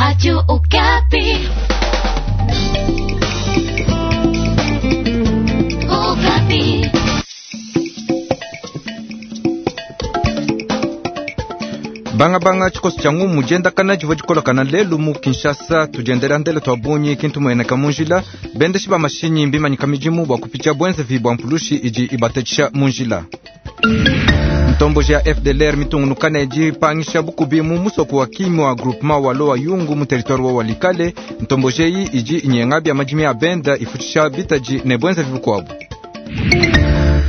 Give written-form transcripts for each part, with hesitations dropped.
Radio Okapi. Okapi. Bangabanga tshikoso tshia ngumu diendakana divua dikolakana lelu mu Kinshasa. Tudiendela ndele tua bungi kintu mueneka mu njila. Bendeshi ba mashinyi mbimanyika midimu bua kupitia buenzevi bua mpulushi idi ibatatshisha mu njila. Ntomboji ya FDLR mitungunukane dipangisha bukubi mu musoko wa Kimwa groupement wa Loa Yungu mu territoire wa Walikale. Ntomboji eyi idi inyenga bia madimi a benda ifutshisha bitaji ne buenzevi bukuabu.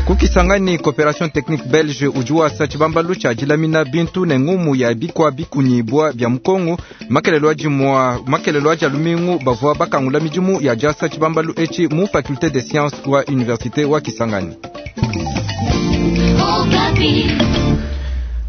Kukisangani Coopération Technique Belge udi wasa tshibambalu tshia dilamina bintu ne ngumu ya bikwa bikunyibwa bia mukongo. Makelelo adi mua makelelo adi alumingu bavua bakangula midimu ya diasa tshibambalu etshi mu faculté des sciences wa université wa Kisangani. Okapi.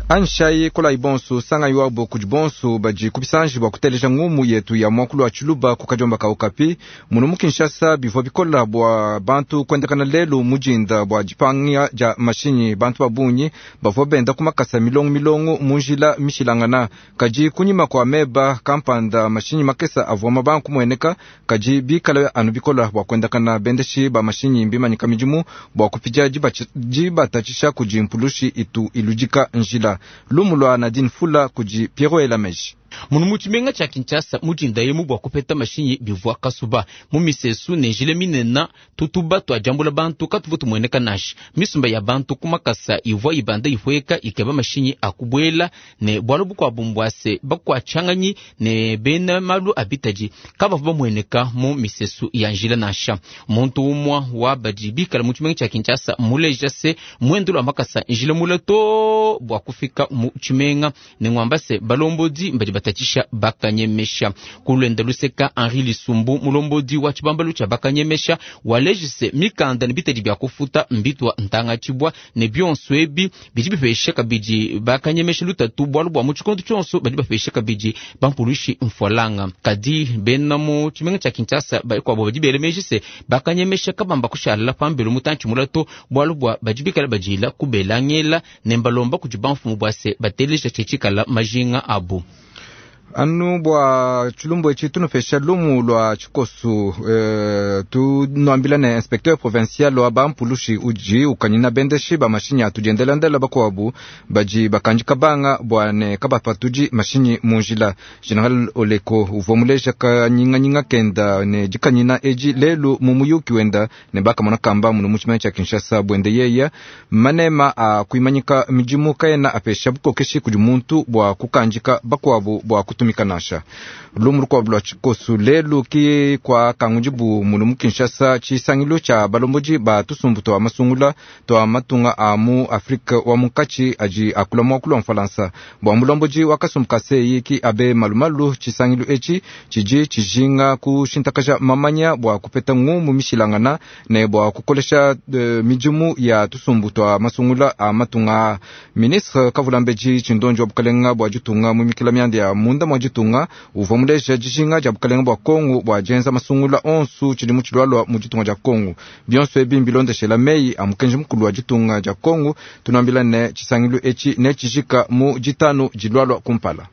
Anshai kolai bonso sanga iwabo kudi bonso badi kubisanji bua kuteleja ngumu yetu ya muakulu wa tshiluba ku kadiomba ka Okapi. Munu mu Kinshasa bivua bikola bua bantu kuendakana lelu mujinda bua dipanga dia mashinyi. Bantu ba bungi bavua benda ku makasa milongo milongo mu njila mishilangana, kadi kunyima kua meba kampanda mashinyi makesa avua mabanga kumueneka, kadi bikala anu bikola bua kuendakana. Bendeshi ba mashinyi mbimanyika midimu bua kupidia dibatatshisha kudi mpulushi itu iludika njila. Lumu lua Nadine Fula kudi Piero Elameji. Munu mu tshimenga tshia Kinshasa mudinda emu bua kupeta mashinyi bivua kasuba mu misesu ne njila minena tutuba tuadiambula bantu katuvua tumueneka nansha. Misumba ya bantu ku makasa ivua ibanda ipueka ikeba mashinyi akubuela ne bualu bukuabu mbuase bakuatshanganyi ne bena malu abitadi kabavua bamueneka mu misesu ya njila nansha. Muntu umua wa badi bikala mu tshimenga tshia Kinshasa muleja se muendu lua makasa njila mule to bua kufika mu tshimenga ne ngwamba se balombodi mbadi batatshisha bakanyemesha. Kulwenda luseka Henri Lisumbu mulombodi wa tshibambalu tshia bakanyemesha walejise mikanda ne bitadi bia kufuta mbitwa ntangatshibwa ne bionso ebi bidi bipesha kabidi bakanyemesha lutatu bualu bua mu tshikondo tshionso badi bapesha kabidi bampulushi mfualanga. Kadi bena mu tshimenga tshia Kinshasa bakuabo badi bela meji se bakanyemesha kabamba kushala pambelu mutantshi mulato bualu bua badi bikala badila kubelangela ne mbalomba kudi bamfumu bua se bateleja tshitshikala majinga abu. Anu bua tshilumbu etshi tunupesha lumu lua tshikosu tunuambila ne inspecteur provincial wa bampulushi udi ukanyina bendeshi ba mashinyi atudiendelandela bakuabu badi bakandika banga bua ne kabapatudi mashinyi mu njila. General Oleko uvua muleja kanyinganyinga kenda ne dikanyina edi lelu mu muyuki wenda ne bakamona kamba munu mu tshimenga tshia Kinshasa. Buende yeya manema a kuimanyika midimu kaena apesha bukokeshi kudi muntu bua kukandika bakuabu bua kutumika nansha. Lumu lukuabu lua tshikosu lelu ki kua kangudibu munu mu Kinshasa tshisangilu tshia balombodi ba tusumbu tua masungula tua matunga a mu Afrika wa munkatshi adi akula muakulu wa Mfalansa. Bua mulombodi wa kasumbu ka seyi ki abe malumalu, tshisangilu etshi tshidi tshijinga kushintakaja mamanya bua kupeta ngumu mishilangana ne bua kukolesha midimu ya tusumbu tua masungula a matunga a. Ministre Kavulambedi Tshindonji wa bukalenga bua ditunga mu mikila mianda ya munda mua ditunga uvua muleja dijinga dia bukalenga bua Kongo bua dienza masungula onsu tshidimu tshilualua mu ditunga dia Kongo. Bionso ebi mbilondeshela meyi a mukenji mukulu wa ditunga dia Kongo. Tunuambila ne tshisangilu etshi netshijika mu ditanu dilualua kumpala.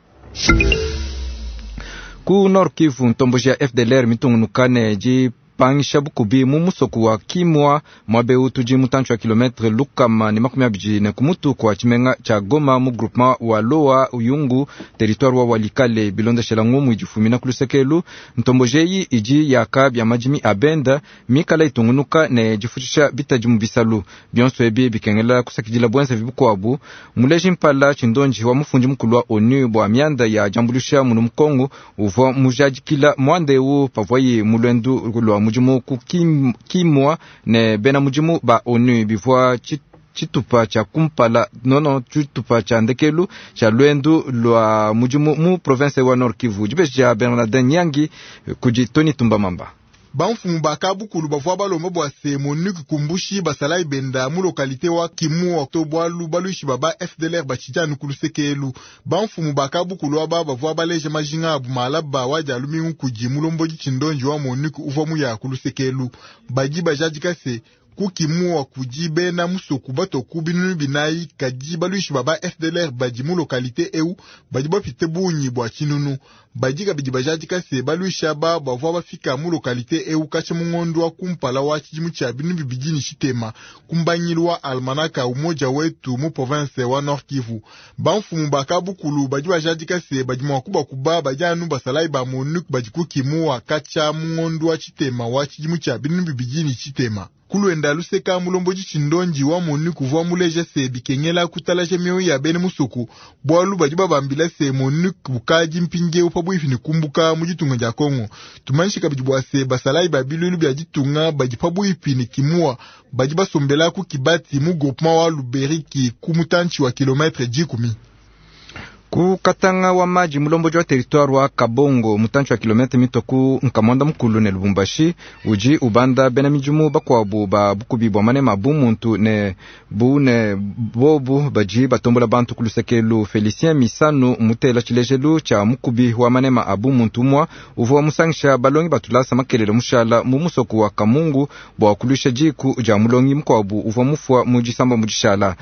Ku Nord Kivu, ntomboji ya FDLR mitungunukane dipangisha bukubi mu musoko wa Kimwa mwabeu tudi mutantshi wa kilometre 124 kumutu kwa tshimenga tshia Goma mu groupement wa Loa Uyungu territoire wa Walikale. Bilondeshela ngumu idifumina ku lusekelu ntomboji eyi idi yaka bia madimi a benda mikala itungunuka ne difutshisha bitadi mu bisalu. Bionso ebi bikengela kusakidila buenzevi bukuabu. Muleji mpala Tshindonji wa mufundi mukulu wa ONU bua mianda ya diambuluisha munu mu Kongo uvua mujadikila muanda eu pavuaye mu luendu lua mudimu ku Kimwa ne bena mudimu ba ONU. Bivua tshitupa tshia kumpala nono tshitupa tshia ndekelu tshia luendu lua mudimu mu province wa Nord Kivu. Dibeji dia Bernardin Nyangi kudi Tony Tumbamamba. Bamfumu ba kabukulu bavua balomba bua se MONUC kumbushi basalayi benda mu lokalite wa Kimua to bualu baluishi ba ba FDLR batshidi anu ku lusekelu. Bamfumu ba kabukulu aba bavua baleja majinga abu malaba wa dia lumingu kudi mulombodi Tshindonji wa MONUC uvua muya ku lusekelu. Badi bajadika se. Ku Kimua kudi bena musoku batue ku 4000, kadi baluishi ba ba FDLR badi mu lokalite eu badi bapite bungi bua tshinunu. Badi kabidi bajadika se baluishi aba bavua bafika mu lokalite eu katshia mu ngondu wa kumpala wa tshidimu tshia 2006 ku mbangilu wa almanaka Umoja Wetu mu province wa Nord Kivu. Bamfumu ba kabukulu badi bajadika se badi mua kubakuba badi anu basalayi ba MONUC badi ku Kimua katshia mu ngondu wa tshitema wa tshidimu tshia 2006. Kuluenda luseka mulombodi tshindondi wa MONUC uvua muleja se bikengela kutalaja mioyo ya bena musoku, bualu badi babambila se MONUC bukadi mpindieu pabuipi ne kumbuka mu ditunga dia Kongo. Tumanyishe kabidi bua se basalayi ba biluilu bia ditunga badi pabuipi ne Kimua badi basombela ku Kibati mu groupement wa Luberiki ku mutantshi wa kilometre 10. Ku Katanga wa maji mulombodi wa territoire wa Kabongo mutantshi wa kilometre mitue ku nkamwanda mukulu ne Lubumbashi udi ubanda bena midimu bakuabu ba bukubi bua manema bu muntu ne bu ne bobu badi batombola bantu ku lusekelu. Felicien Misanu mutela tshilejelu tshia mukubi wa manema a bu muntu umua uvua musangisha balongi batulasa makelele mushala mu musoko wa Kamungu bua kuluisha diku dia mulongi mukuabu uvua mufua mu disamba mu dishala.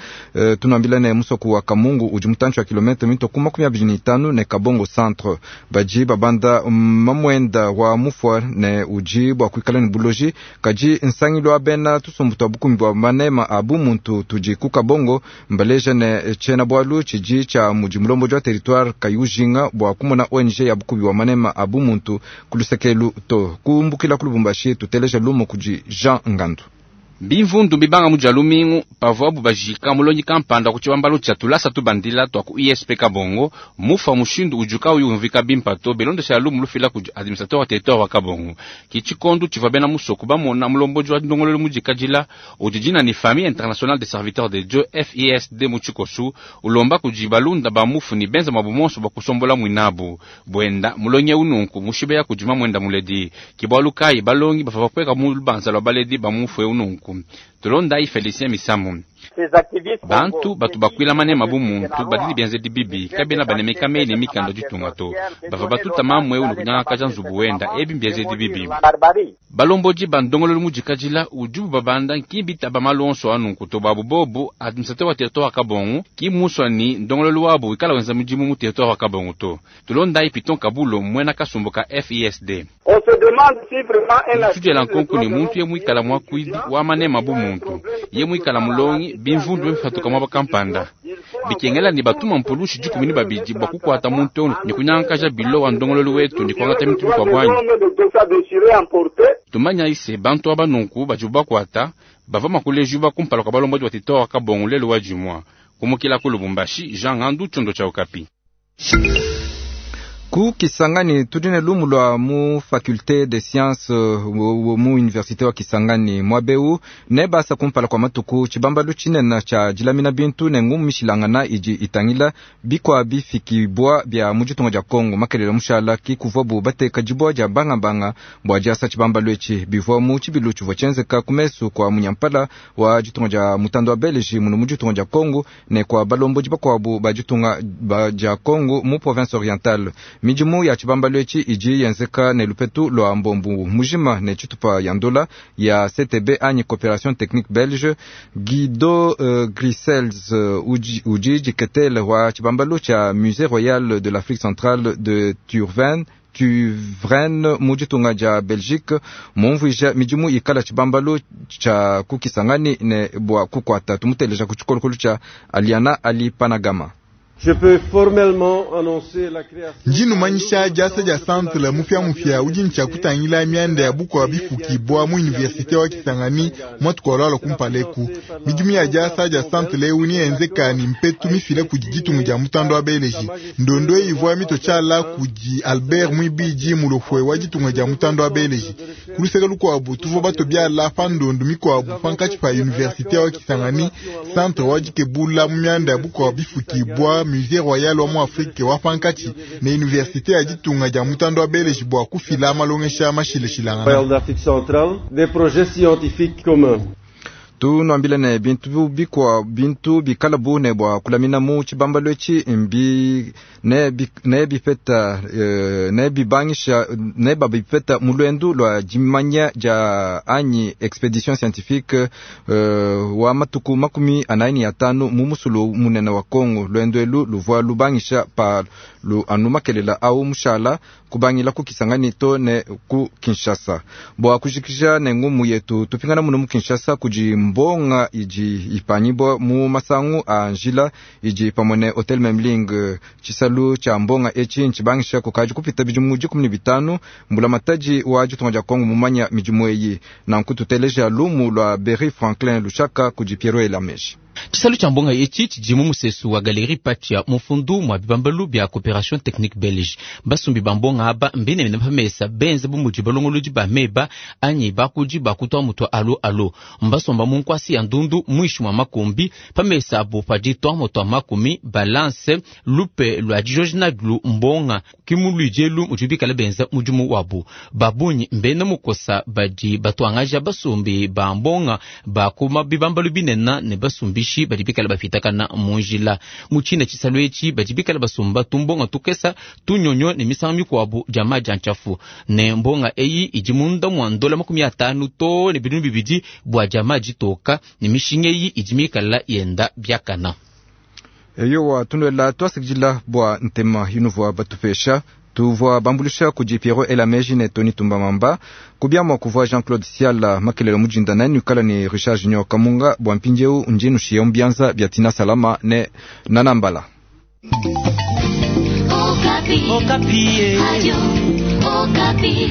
Tunuambila ne musoko wa Kamungu udi mutantshi wa kilometre mitue ku 25 ne Kabongo centre. Badi babanda mamwenda wa mufua ne udi bua kuikala ne buloji, kadi nsangilu wa bena tusumbu twa bukumi bua manema a bumuntu tudi ku Kabongo mbaleja ne tshiena bualu tshidi tshia mudi mulombodi wa territoire kayujinga bua kumona ONG ya bukubi bua manema a bumuntu ku lusekelu to. Kumbukila ku Lubumbashi tuteleja lumu kudi Jean Ngandu. Bimvundu bibanga mu dia lumingu pavuabu bajika mulongi kampanda ku tshibambalu tshia tulasa tubandila tua ku ISP Kabongo mufa mushindu udi kauyi umvika bimpe to bilondeshela lumu lufila kudi administrateur wa territoire wa Kabongo. Ki tshikondu tshivua bena musoku bamona mulombodi wa ndongoluelu mudikadila udi dina ni Famille Internationale des Serviteurs de Dieu FISD mu tshikosu ulomba kudi balunda ba mufu ni benza mwabu monso bua kusombola mwinabu bwenda mulongi eu nunku mushibeya kudi mamwenda muledi ki bualu kayi balongi bavua bakweka mu lubanza lua baledi ba mufu eu nunku. Tulondai Felicien Misamu. Bantu batu bakwila manema bu muntu badi bienzedi bibi kabena banemeka mei ne mikanda ditunga to bava batuta mamwe eu nikunyangakaja nzubu wenda ebi mbienzedi bibi. Balombodi ba ndongoluelu mudikadila udibu babanda nkimbi taba malu onso anunku to babu bobu administrateur wa territoire wa Kabongo ki muswa ni ndongoluelu wabu ikala wenza mudimu mu territoire wa Kabongo to. Tulondai Piton Kabulo mwena kasumbu ka FISD. Tudiela nkonko ni muntu ye mwikala mwakuidi wa manema bu muntu ye mwikala mulongi bimvundu bifatuka mwaba kampanda bikengela ni batuma mpulushi 12 bua kukwata muntu eu ni kunyangakaja bilo wa ndongoluelu wetu ni kuangata bintu bikua bwanyi. Tumanya ise bantu aba nunku badi bakwata bava makulejuba kumpala kwa balombodi wa territoire wa Kabongo lelo wa jumwa. Kumukila ku Lubumbashi, Jean Ngandu, Tchondo cha Okapi. Ku Kisangani tudi ne lumu lua mu faculté des sciences mu université wa Kisangani mwabeu ne basa kumpala kwa matuku tshibambalu tshinene tshia dilamina bintu ne ngumu mishilangana idi itangila bikwa bifikibwa bia mu ditunga dia Kongo makelele mushala ki kuvuabu bateka dibua dia bangabanga bua diasa tshibambalu etshi bivua mu tshibilu tshivua tshienzeka ku mesu kwa munyampala wa ditunga dia mutanda wa Belgique muno mu ditunga dia Kongo ne kwa balombodi bakuabu ba ditunga dia Kongo mu province orientale. Midimu ya tshibambalu etshi idi yenzeka ne lupetu lua mbombu mujima ne tshitupa ya ndola ya CTB anyi Coopération Technique Belge. Guido Grisels udi diketele wa tshibambalu tshia Musée Royal de l'Afrique Centrale de Turven Tuvren mu ditunga dia Belgique mumvuija midimu ikala tshibambalu tshia ku Kisangani ne bua kukwata tumuteleja ku tshikolokolo tshia Aliana Ali Panagama. Je peux formellement annoncer la création Njinumanyisha diasa dia centre mupya udi ntshia kutangila mianda ya bukua bifukibwa mu université wa Kisangani mwatukolwala kumpaleku. Midimu ya diasa dia centre eu ni enzeka ni mpetu mifile kudi ditunga dia mutando wa Beleji. Ndondo ivua mito tshala kudi Albert Mwibiji mulofwe wa ditunga dia mutando wa Beleji. Kuluseka lukuabu tuvua bato biala pa ndondo mikuabu pankatshi pa université wa Kisangani centre wa dikebula mu mianda ya bukua bifukibwa Musée Royal wa mu Afrique wa pankatshi ne université ya ditunga dia mutando wa Beleji bua kufila malongesha mashileshilangana. Royal d'Afrique centrale, des projets scientifiques communs. Tunuambile ne bintu bikua bintu bikala bu ne bua kulamina mu tshibambalu etshi mbi ne bi, ne bipeta ne bibangisha ne babipeta mu luendu lua dimanya dia anyi expedition scientifique wa matuku 45 mu musulu munene wa Kongo. Luendu elu luvua lubangisha pa lu anu makelela au mushala kubangila ku Kisangani to ne ku Kinshasa. Bua kujikija ne ngumu yetu tupingana muno mu Kinshasa kudi mbonga idi ipanyibwa mu masangu a njila idi pamwe ne Hotel Memling. Tshisalu tshia mbonga etshi ntshibangisha kukadi kupita bidimu 15 mbulamatadi wa ditunga dia Kongo mumanya midimu eyi. Nanku tuteleja lumu lua Berry Franklin Lushaka kudi Piero Elameji. Tshisalu tshia mbonga etshi tshidi mu musesu wa Galerie Patia mufundu mwa bibambalu bia Coopération Technique Belge. Basumbi ba mbonga aba mbenemene pamesa benze bu mudi balongolodi ba meba anyi bakudi bakutwa mutwa alo alo. Mbasomba mu nkwasi ya ndundu mwishi mwa makumbi pamesa abo padi twa mutwa makumi balance lupe lwa dijojina lu mbonga kimuluijelu mudi bikala benza mudimu wabu. Babunyi mbene mukosa badi batwangaja basumbi ba mbonga bakuma bibambalu binena ne basumbi badi bikala bafitakana munjila muchina tshisalu etshi badi bikala basumba tumbonga tukesa tunyonyo ne misango mikuabu dia maji nchafu ne mbonga eyi idi munda mwa ndola 50 to ne binunu bibidi bua dia maji toka ne mishinga eyi idi mikala yenda biakana. Eyowa tunuela tuasikidila bua ntema yunuvua batupesha. Tuvua bambulisha kudi Piero Elameji ne Tony Tumbamamba kubiamua kuvua Jean-Claude Siala makelelo mujinda nani ukala ne Richard Junior Kamunga bua mpindieu njinu mbianza bia Tina Salama ne Nanambala. Okapi. Okapi. Radio Okapi.